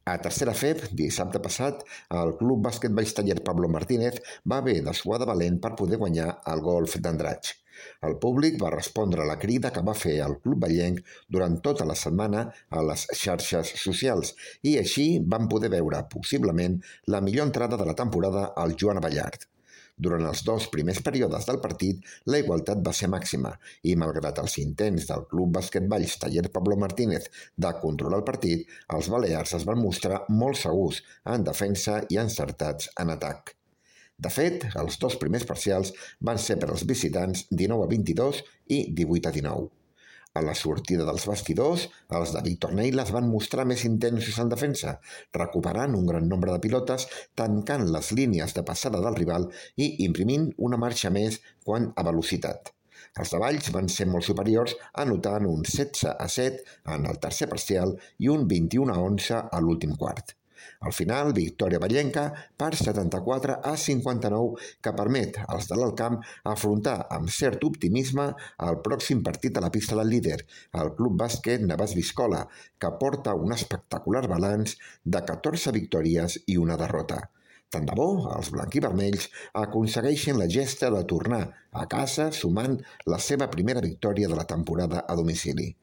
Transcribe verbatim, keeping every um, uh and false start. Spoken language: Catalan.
A tercera F E B, dissabte passat, el Club Bàsquet Valls Taller Pablo Martínez va haver de suar de valent per poder guanyar el golf d'Andratx. El públic va respondre a la crida que va fer el club vallenc durant tota la setmana a les xarxes socials i així van poder veure, possiblement, la millor entrada de la temporada al Joan Ballard. Durant els dos primers períodes del partit, la igualtat va ser màxima i, malgrat els intents del Club Bàsquet Valls Taller Pablo Martínez de controlar el partit, els balears es van mostrar molt segurs en defensa i encertats en atac. De fet, els dos primers parcials van ser per als visitants dinou a vint-i-dos i divuit a dinou. A la sortida dels vestidors, els de Víctor Neil es van mostrar més intensos en defensa, recuperant un gran nombre de pilotes, tancant les línies de passada del rival i imprimint una marxa més quant a velocitat. Els de Valls van ser molt superiors, anotant un setze a set en el tercer parcial i un vint-i-u a onze a l'últim quart. Al final, victòria vallenca per setanta-quatre a cinquanta-nou que permet als de l'Alt Camp afrontar amb cert optimisme el pròxim partit a la pista del líder, el Club Bàsquet Navàs Biscola, que porta un espectacular balanç de catorze victòries i una derrota. Tant de bo, els blanquivermells aconsegueixen la gesta de tornar a casa sumant la seva primera victòria de la temporada a domicili.